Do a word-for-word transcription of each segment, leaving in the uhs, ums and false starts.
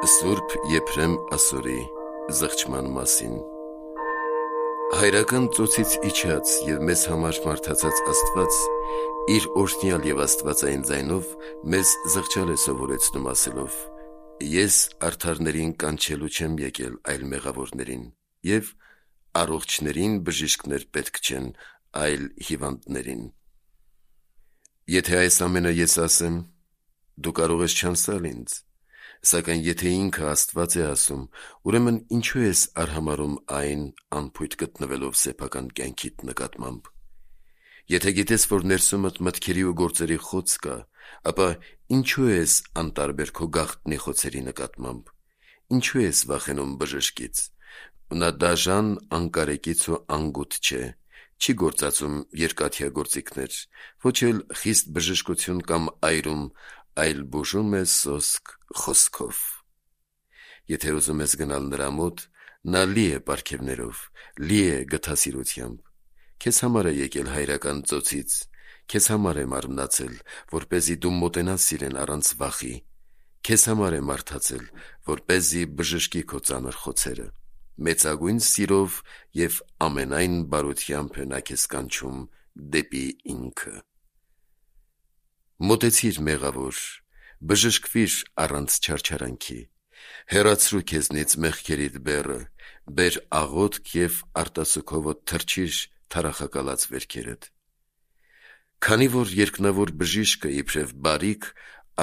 Սուրբ Եփրեմ ասորի զղջման մասին։ Հայրական ծոցից իջած և մեզ համար մարդացած Աստված իր օրհնյալ և աստվածային ձայնով մեզ զղջալ է սովորեցնում ասելով. «Ես արդարներին կանչելու չեմ եկել, այլ մեղավորներին, և առողջներին բժիշկներ պետք չեն, այլ հիվանդներին»։ Եթե այս ամենը ես ասեմ, դու կարող ես չանսալ ինձ, սակայն եթե ինքը Աստված է ասում, ուրեմն ինչո՞ւ ես արհամարհում այն անփույթ գտնվելով սեփական կյանքիդ նկատմամբ։ Եթե գիտես, որ ներսումդ մտքերի ու գործերի խոց կա, ապա ինչո՞ւ ես անտարբեր քո գաղտնի խոցերի նկատմամբ։ Ինչո՞ւ ես վախենում բժշկից։ Նա դաժան, անկարեկից ու անգութ չէ, չի գործածում երկաթյա գործիքներ, ոչ էլ խիստ բժշկություն կամ այրում, այլ բուժում է սոսկ խոսքով։ Եթե ուզում ես գնալ նրա մոտ, նա լի է պարգևներով, լի է գթասիրությամբ։ Քեզ համար է եկել հայրական ծոցից, քեզ համար է մարմնացել, որպեսզի դու մոտենաս իրեն առանց վախի, քեզ համար է մարդացել, որպեսզի բժշկի քո ծանր խոցերը։ Մեծագույն սիրով և ամենայն բարությամբ է նա քեզ կանչում դեպի ինքը։ Մոտեցիր մեղավոր, բժշկվիր առանց չարչարանքի, հեռացրու քեզնից մեղքերիդ բեռը, բեր աղոթք և արտասուքովդ թռչիր թառախակալած վերքերդ։ Քանի որ երկնավոր բժիշկը իբրև բարիք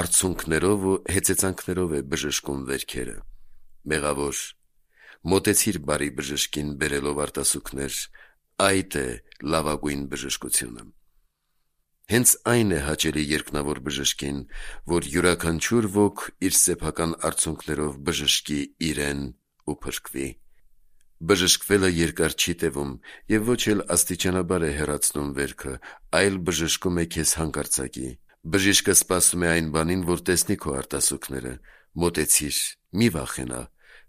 արցունքներով ու հեծեծանքներով է բժշկում վերքերը, մեղավոր, մոտեցիր բարի բժշկին բերելով արտասուքներ, այդ է լավագույն բժշկությունը։ Հենց այն է հաճելի երկնավոր բժշկին, որ յուրաքանչյուր ոք իր սեփական արցունքներով բժշկի իրեն ու փրկվի։ Բժշկվելը երկար չի տևում և ոչ էլ աստիճանաբար է հեռացնում վերքը, այլ բժշկում է քեզ հանկարծակի։ Բժիշկը սպասում է այն բանին, որ տեսնի քո արտասուքները։ Մոտեցիր, մի վախենա,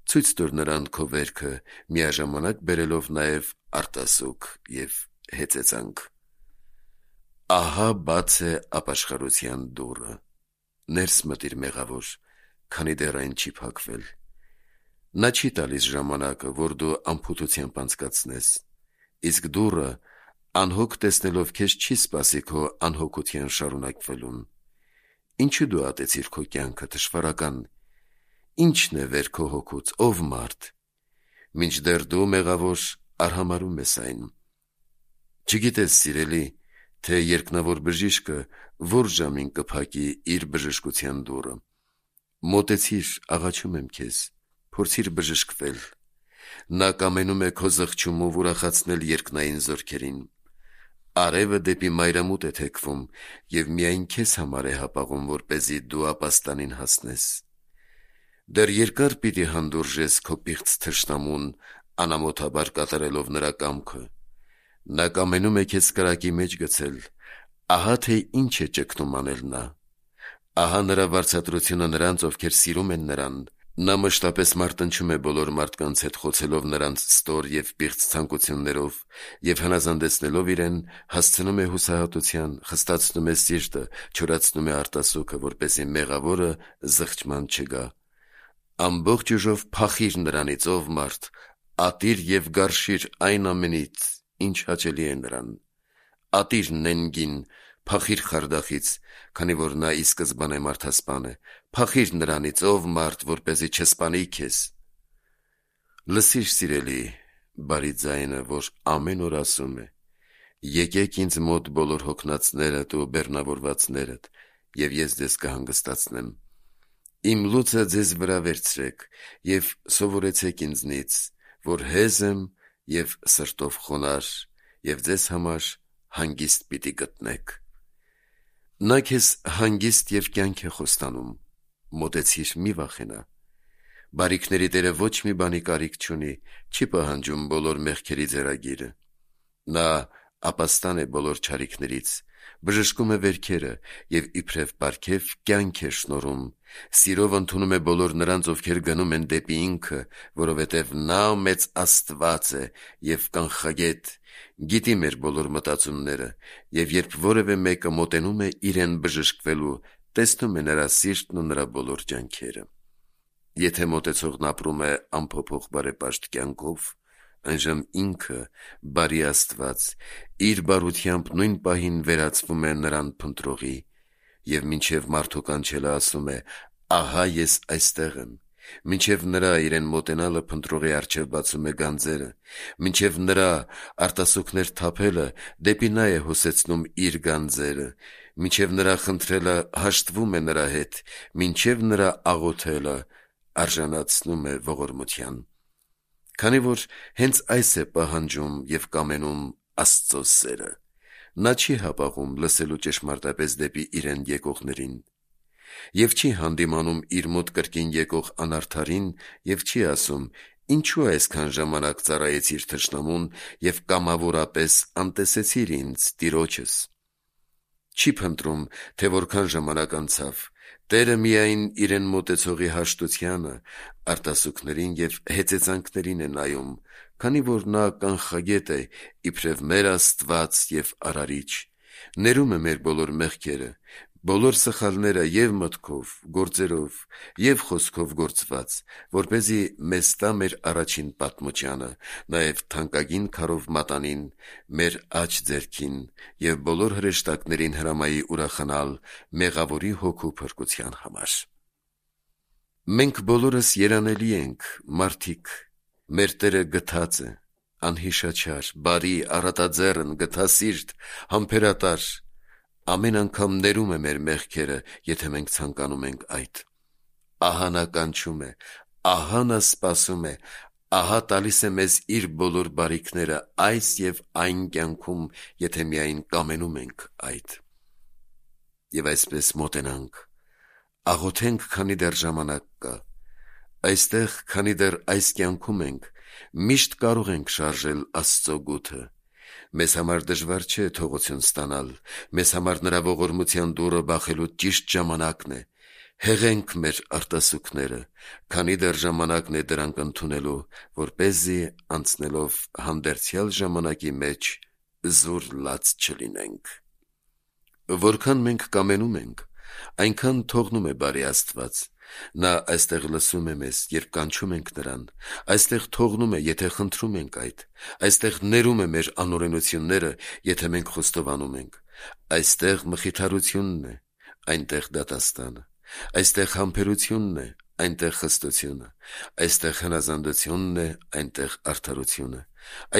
ցույց տուր նրան քո վերքը, միաժամանակ բերելով նաև արտասուք և հեծեծանք։ Ահա բաց է ապաշխարության դուռը։ Ներս մտիր մեղավոր, քանի դեռ այն չի փակվել։ Նա չի տալիս ժամանակը, որ դու անփութությամբ անցկացնես, իսկ դուռը անհոգ տեսնելով քեզ չի սպասի քո անհոգության շարունակվելուն։ Ինչու դու ատեցիր քո կյանքը, թշվառական։ Ի՞նչն է վեր քո հոգուց, ով մարդ։ Մինչդեռ դու, մեղավոր, արհամարհում ես այն։ Չգիտես, սիրելի, թե երկնավոր բժիշկը որ ժամին կփակի իր բժշկության դուռը։ Մոտեցիր, աղաչում եմ քեզ, փորձիր բժշկվել։ Նա կամենում է քո զղջումով ուրախացնել երկնային զորքերին։ Արևը դեպի մայրամուտ է թեքվում և միայն քեզ համար է հապաղում, որպեսզի դու ապաստանին հասնես։ Դեռ երկար պիտի հանդուրժես քո պիղծ թշնամուն, անամոթաբար կատարելով նրա կամքը։ Նա կամենում է քեզ կրակի մեջ գցել։ Ահա թե ինչ է ճգնում անել նա։ Ահա նրա վարձատրությունը նրանց, ովքեր սիրում են նրան։ Նա մշտապես մարտնչում է բոլոր մարդկանց հետ, խոցելով նրանց ստոր և պիղծ ցանկություններով և հնազանդեցնելով իրեն, հասցնում է հուսահատության, խստացնում է սիրտը, չորացնում է արտասուքը, որպեսզի մեղավորը զղջման չգա։ Ամբողջ ուժով փախիր նրանից, ով մարդ, ատիր և գարշիր այն ամենից, ինչ հաճելի է նրան։ Ատիր նենգին, փախիր խարդախից, քանի որ նա ի սկզբանե մարդասպան է, փախիր նրանից, ով մարդ, որպեսզի չսպանի քեզ։ Լսիր, սիրելի, բարի ձայնը, որ ամեն օր ասում է. «Եկեք ինձ մոտ բոլոր հոգնածներդ ու բեռնավորվածներդ, և ես ձեզ կհանգստացնեմ։ Իմ լուծը ձեզ վրա վերցրեք և սովորեցեք ինձնից, որ հեզ եմ և սրտով խոնարհ, և ձեզ համար հանգիստ պիտի գտնեք»։ Նա քեզ հանգիստ և կյանք է խոստանում։ Մոտեցիր, մի վախենա։ Բարիքների Տերը ոչ մի բանի կարիք չունի, չի պահանջում բոլոր մեղքերի ձեռագիրը։ Նա ապաստան է բոլոր չարիքներից, բժշկում է վերքերը և իբրև պարգև կյանք է շնորհում, սիրով ընդունում է բոլոր նրանց, ովքեր գնում են դեպի ինքը, որովհետև նա մեծ Աստված է և կանխագետ, գիտի մեր բոլոր մտածումները, և երբ որևէ մեկը մոտենում է իրեն բժշկվելու, տեսնում է նրա սիրտն ու նրա բոլոր ջանքերը։ Եթե մոտեցողն ապրում է անփոփոխ բարեպաշտ կյանքով, այժմ ինքը, բարի Աստված, իր բարությամբ նույն պահին վերածվում է նրան փնտրողի, և մինչև մարդու կանչելը ասում է. «Ահա ես այստեղ եմ», մինչև նրա իրեն մոտենալը փնտրողի առջև բացում է գանձերը, մինչև նրա արտասուքներ թափելը դեպի նա է հոսեցնում իր գանձերը, մինչև նրա խնդրելը հաշտվում է նրա հետ, մինչև նրա աղոթելը արժանացնում է ողորմության։ Քանի որ հենց այս է պահանջում և կամենում Աստծո սերը, նա չի հապաղում լսելու ճշմարտապես դեպի իրեն եկողներին և չի հանդիմանում իր մոտ կրկին եկող անարդարին և չի ասում. «Ինչու այսքան ժամանակ ծառայեցիր թշնամուն և կամավորապես անտեսեցիր ինձ, Տիրոջս»։ Չի փնտրում, թե որքան ժամանակ անցավ, Տերը միայն իրեն մոտեցողի հաշտությանը, արտասուքներին և հեծեծանքներին է նայում, քանի որ նա կանխագետ է, իբրև մեր Աստված և Արարիչ, ներում է մեր բոլոր մեղքերը, բոլոր սխալները և մտքով, գործերով և խոսքով գործված, որպեսզի մեզ տա մեր առաջին պատմուճանը, նաև թանկագին քարով մատանին, մեր աջ ձեռքին և բոլոր հրեշտակներին հրամայի ուրախանալ Մեղավորի Հոգու փրկության համար։ Մենք բոլորս երանելի ենք, մարդիկ, մեր Տերը գթած է, անհիշաչար, բարի, առատաձեռն, գթասիրտ, համբերատար, ամեն անգամ ներում է մեր մեղքերը, եթե մենք ցանկանում ենք այդ։ Ահա նա կանչում է, ահա նա սպասում է, ահա տալիս է մեզ իր բոլոր բարիքները այս և այն կյանքում, եթե միայն կամենում ենք այդ։ Եվ այսպես մոտենանք, աղոթենք, քանի դեռ ժամանակ կա, այստեղ, քանի դեռ այս կյանքում ենք, միշտ կարող ենք շարժել Աստծո գութը։ Մեզ համար դժվար չէ թողություն ստանալ, մեզ համար նրա ողորմության դուռը բախելու ճիշտ ժամանակն է։ Հեղենք մեր արտասուքները, քանի դեռ ժամանակն է դրանք ընդունելու, որպեսզի անցնելով հանդերձյալ ժամանակի մեջ զուր լաց չլինենք։ Որքան մենք կամենում ենք, այնքան թողնում է բարի Աստված։ Նա այստեղ լսում է մեզ, երբ կանչում ենք նրան, այստեղ թողնում է, եթե խնդրում ենք այդ, այստեղ ներում է մեր անօրենությունները, եթե մենք խոստովանում ենք, այստեղ մխիթարությունն է, այնտեղ դատաստանը, այստեղ համբերությունն է, այնտեղ խստությունը, այստեղ հնազանդությունն է, այնտեղ արդարությունը,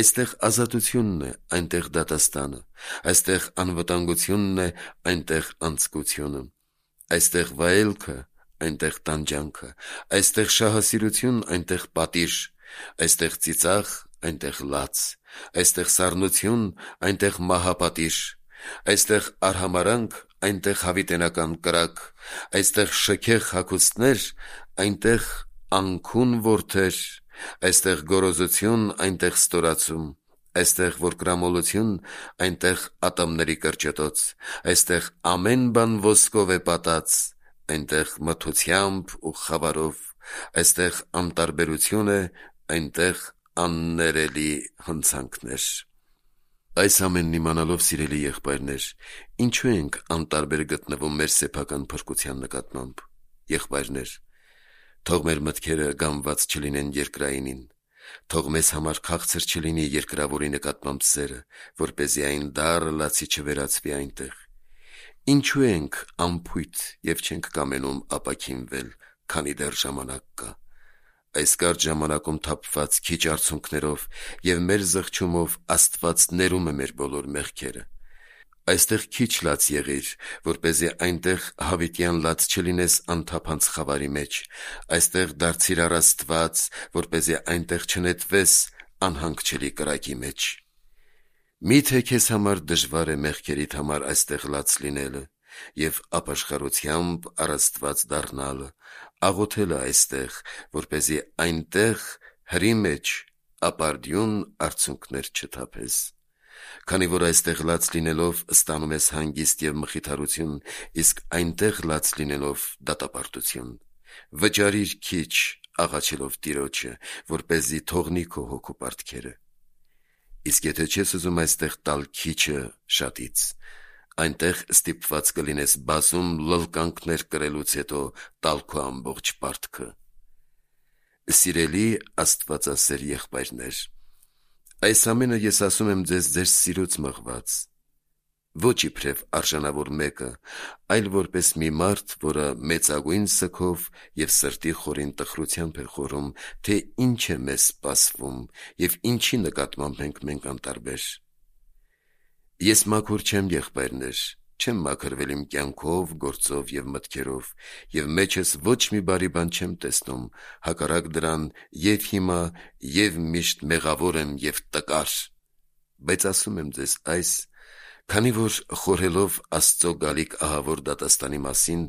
այստեղ ազատությունն է, այնտեղ դատաստանը, այստեղ անվտանգությունն է, այնտեղ անձկությունը, այստեղ վայելքը, այնտեղ տանջանքը, այստեղ շահասիրություն, այնտեղ պատիժ, այստեղ ծիծաղ, այնտեղ լաց, այստեղ սառնություն, այնտեղ մահապատիժ, այստեղ արհամարհանք, այնտեղ հավիտենական կրակ, այստեղ շքեղ հագուստներ, այնտեղ անքուն որդեր, այստեղ գոռոզություն, այնտեղ ստորացում, այստեղ որկրամոլություն, այնտեղ ատամների կրճտոց, այստեղ ամեն բան ոսկով է պատած, այնտեղ մթությամբ ու խավարով, այստեղ անտարբերություն է, այնտեղ աններելի հնցանքներ։ Այս ամենն իմանալով, սիրելի եղբայրներ, ինչու ենք անտարբեր գտնվում մեր սեփական փրկության նկատմամբ։ Եղբայրներ, թող մեր մտքերը գամված չլինեն երկրայինին, թող մեզ համար քաղցր չլինի երկրավորի նկատմամբ սերը, որպեսզի այն դառը լացի չվերածվի այնտեղ։ Ինչու ենք անփույթ և չենք կամենում ապաքինվել, քանի դեռ ժամանակ կա։ Այս կարճ ժամանակում թափված քիչ արցունքներով և մեր զղջումով Աստված ներում է մեր բոլոր մեղքերը։ Այստեղ քիչ լաց եղիր, որպեսզի այնտեղ հավիտյան լաց չլինես անթափանց խավարի մեջ, այստեղ դարձիր առ Աստված, որպեսզի այնտեղ չնետվես անհանգչելի կրակի մեջ։ Մի՞թե քեզ համար դժվար է մեղքերիդ համար այստեղ լաց լինելը և ապաշխարությամբ առ Աստված դառնալը, աղոթելը այստեղ, որպեսզի այնտեղ հրի մեջ ապարդյուն արցունքներ չթափես։ Քանի որ այստեղ լաց լինելով ստանում ես հանգիստ և մխիթարություն, իսկ այնտեղ լաց լինելով դատապարտություն։ Վճարիր քիչ, աղաչելով Տիրոջը, որպեսզի թողնի քո հոգու պարտքերը։ Իսկ եթե չես ուզում այստեղ տալ քիչը շատից, այնտեղ ստիպված կլինես բազում լլկանքներ կրելուց հետո տալ քո ամբողջ պարտքը։ Սիրելի Աստվածասեր եղբայրներ, այս ամենը ես ասում եմ ձեզ ձեր սիրուց մղված, ոչ իբրև արժանավոր մեկը, այլ որպես մի մարդ, որը մեծագույն սգով և սրտի խորին տխրությամբ է խորում, թե ինչ է մեզ սպասվում և ինչի նկատմամբ ենք մենք անտարբեր։ Ես մաքուր չեմ, եղբայրներ, չեմ մաքրվել իմ կյանքով, գործով և մտքերով, և մեջս ոչ մի բարի բան չեմ տեսնում, հակառակ դրան և հիմա, և միշտ մեղավոր եմ և տկար, բայց ասում եմ ձեզ այս, քանի որ խորհելով Աստծո գալիք ահավոր դատաստանի մասին,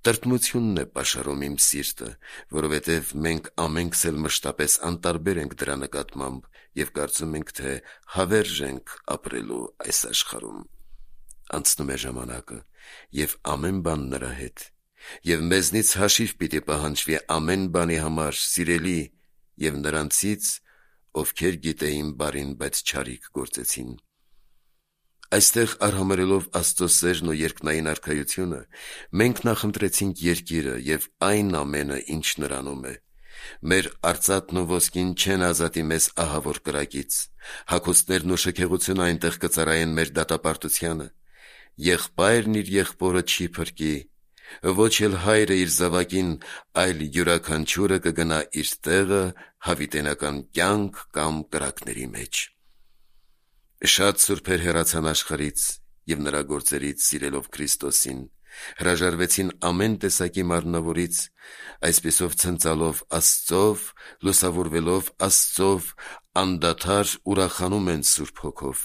տրտմությունն է պաշարում իմ սիրտը, որովհետև մենք ամենքս էլ մշտապես անտարբեր ենք դրա նկատմամբ և կարծում ենք, թե հավերժ ենք ապրելու այս աշխարհում։ Անցնում է ժամանակը, և ամեն բան նրա հետ, և մեզնից հաշիվ պիտի պահանջվի ամեն բանի համար, սիրելի, և նրանցից, ովքեր գիտեին բարին, բայց չարիք գործեցին։ Այստեղ արհամարհելով Աստծո սերն ու երկնային արքայությունը, մենք նախընտրեցինք երկիրը և այն ամենը, ինչ նրանում է։ Մեր արծաթն ու ոսկին չեն ազատի մեզ ահավոր կրակից, հագուստներն ու շքեղությունը այնտեղ կծառայեն մեր դատապարտությանը։ Եղբայրն իր եղբորը չի փրկի, ոչ էլ հայրը իր զավակին, այլ յուրաքանչյուրը կգնա իր տեղը հավիտենական կյանք կամ կրակների մեջ։ Շատ սուրբեր հեռացան աշխարհից և նրա գործերից սիրելով Քրիստոսին, հրաժարվեցին ամեն տեսակի մարմնավորից, այսպիսով ցնծալով Աստծով, լուսավորվելով Աստծով, անդադար ուրախանում են Սուրբ Հոգով,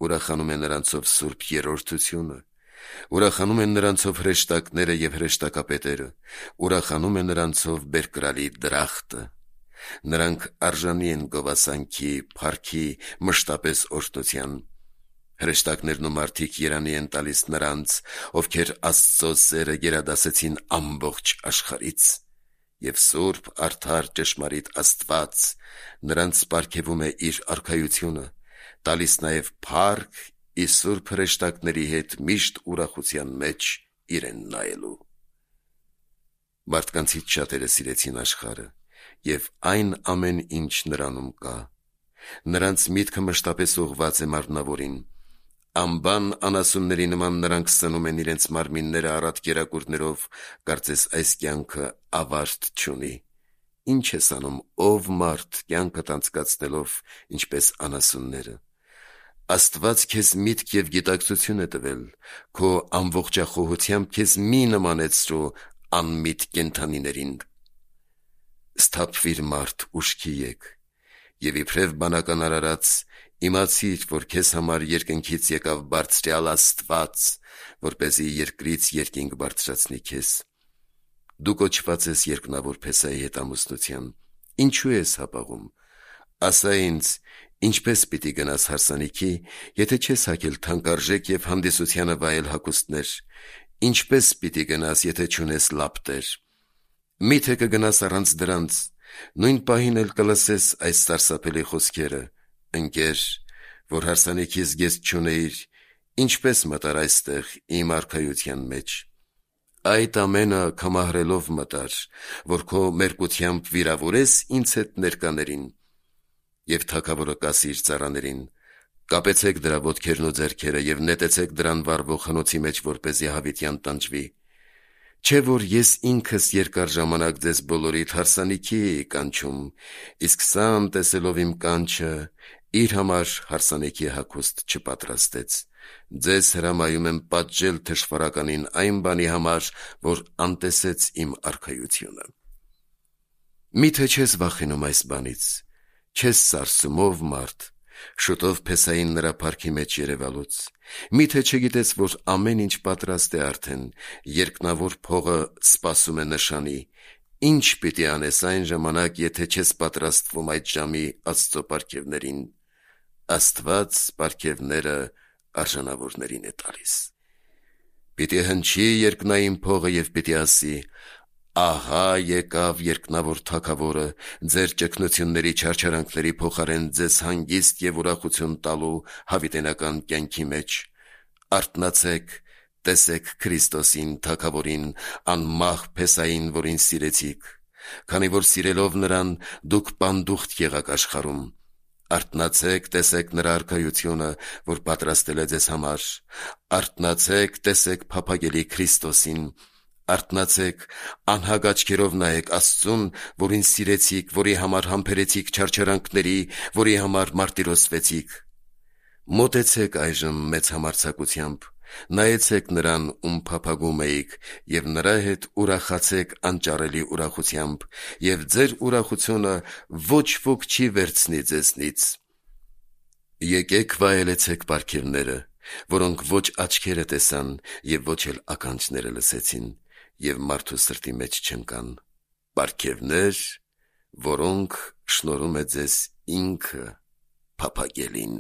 ուրախանում է նրանցով Սուրբ Երրորդությունը, ուրախանում են նրանցով հրեշտակները և հրեշտակապետերը, ուրախանում է նրանցով բերկրալի դրախտը։ Նրանք արժանի են գովասանքի, փառքի, մշտապես օրհնության։ Հրեշտակներն ու մարդիկ երանի են տալիս նրանց, ովքեր Աստծո սերը գերադասեցին ամբողջ աշխարհից, և սուրբ, արդար, ճշմարիտ Աստված նրանց պարգևում է իր արքայությունը, տալիս նաև փառք իր սուրբ հրեշտակների հետ միշտ ուրախության մեջ իրեն նայելու։ Մարդկանցից շատերը սիրեցին աշխարհը և այն ամեն ինչ նրանում կա։ Նրանց միտքը մշտապես ուղղված է մարմնավորին։ Անբան անասունների նման նրանք սնում են իրենց մարմինները առատ կերակուրներով, կարծես այս կյանքը ավարտ չունի։ Ինչ ես անում, ով մարդ, կյանքդ անցկացնելով, ինչպես անասունները։ Աստված քեզ միտք և գիտակցություն է տվել, քո ամբողջախոհությամբ քեզ մի նմանեցրու անմիտ կենդանիներին։ Սթափվիր մարդ, ուշքի եկ, և իբրև բանական արարած, իմացիր, որ քեզ համար երկնքից եկավ բարձրյալ Աստված, որպեսզի երկրից երկինք բարձրացնի քեզ։ Դու կոչված ես երկնավոր Փեսայի հետ ամուսնության, ինչու ես հապաղում։ Ասա ինձ, ինչպես պիտի գնաս հարսանիքի, եթե չես հագել թանկարժեք և հանդիսությանը վայել հագուստներ, ինչպես պիտի գնաս, եթե չունես լապտեր։ Մի՞թե կգնաս առանց դրանց, նույն պահին էլ կլսես այս սարսափելի խոսքերը. ընկեր, որ հարսանիքի զգեստ չունեիր, ինչպես մտար այստեղ իմ արքայության մեջ։ Այդ ամենը կամահրելով մտար, որ քո մերկությամբ վիրավորես ինձ հետ ներկաներին։ Եվ թագավորը կասի իր ծառաներին. կապեցեք դրա ոտքերն ու ձեռքերը և նետեցեք դրան վառվող հնոցի մեջ, որպեսզի հավիտյան տանջվի։ Չէ՞ որ ես ինքս երկար ժամանակ ձեզ բոլորիդ հարսանիքի էի կանչում, իսկ սա անտեսելով իմ կանչը, իր համար հարսանիքի հագուստ չպատրաստեց։ Ձեզ հրամայում եմ պատժել թշվառականին այն բանի համար, որ անտեսեց իմ արքայությունը։ Մի՞թե չես վախենում այս բանից, չես սարսում, ով մարդ, շուտով Փեսային նրա փառքի մեջ երևալուց։ Մի՞թե չգիտես, որ ամեն ինչ պատրաստ է արդեն, երկնավոր փողը սպասում է նշանի։ Ինչ պիտի անես այն ժամանակ, եթե չես պատրաստվում այդ ժամի Աստծո պարգևներին։ Աստված պարգևները արժանավորներին է տալիս։ Պիտի հնչի երկնային փողը և պիտի ասի. ահա եկավ երկնավոր Թագավորը, ձեր ճգնությունների չարչարանքների փոխարեն ձեզ հանգիստ և ուրախություն տալու հավիտենական կյանքի մեջ։ Արթնացեք, տեսեք Քրիստոսին, Թագավորին, անմահ Փեսային, որին սիրեցիք։ քանի որ սիրելով նրան դուք պանդուխտ եղաք աշխարհում։ Արթնացեք, տեսեք նրա արքայությունը, որ պատրաստել է ձեզ համար։ Արթնացեք, տեսեք փափագելի Քրիստոսին։ Արթնացեք, անհագ աչքերով նայեք Աստծուն, որին սիրեցիք, որի համար համբերեցիք չարչարանքների, որի համար մարտիրոսվեցիք։ Մոտեցեք այժմ մեծ համարձակությամբ, նայեցեք նրան, ում փափագում էիք, և նրա հետ ուրախացեք անճարելի ուրախությամբ, և ձեր ուրախությունը ոչ ոք չի վերցնի ձեզնից։ Եկեք վայելեցեք պարգևները, որոնք ոչ աչքերը տեսան և ոչ էլ ականջները լսեցին, և մարդու սրտի մեջ չընկան, պարգևներ, որոնք շնորհում է ձեզ ինքը փափագելին։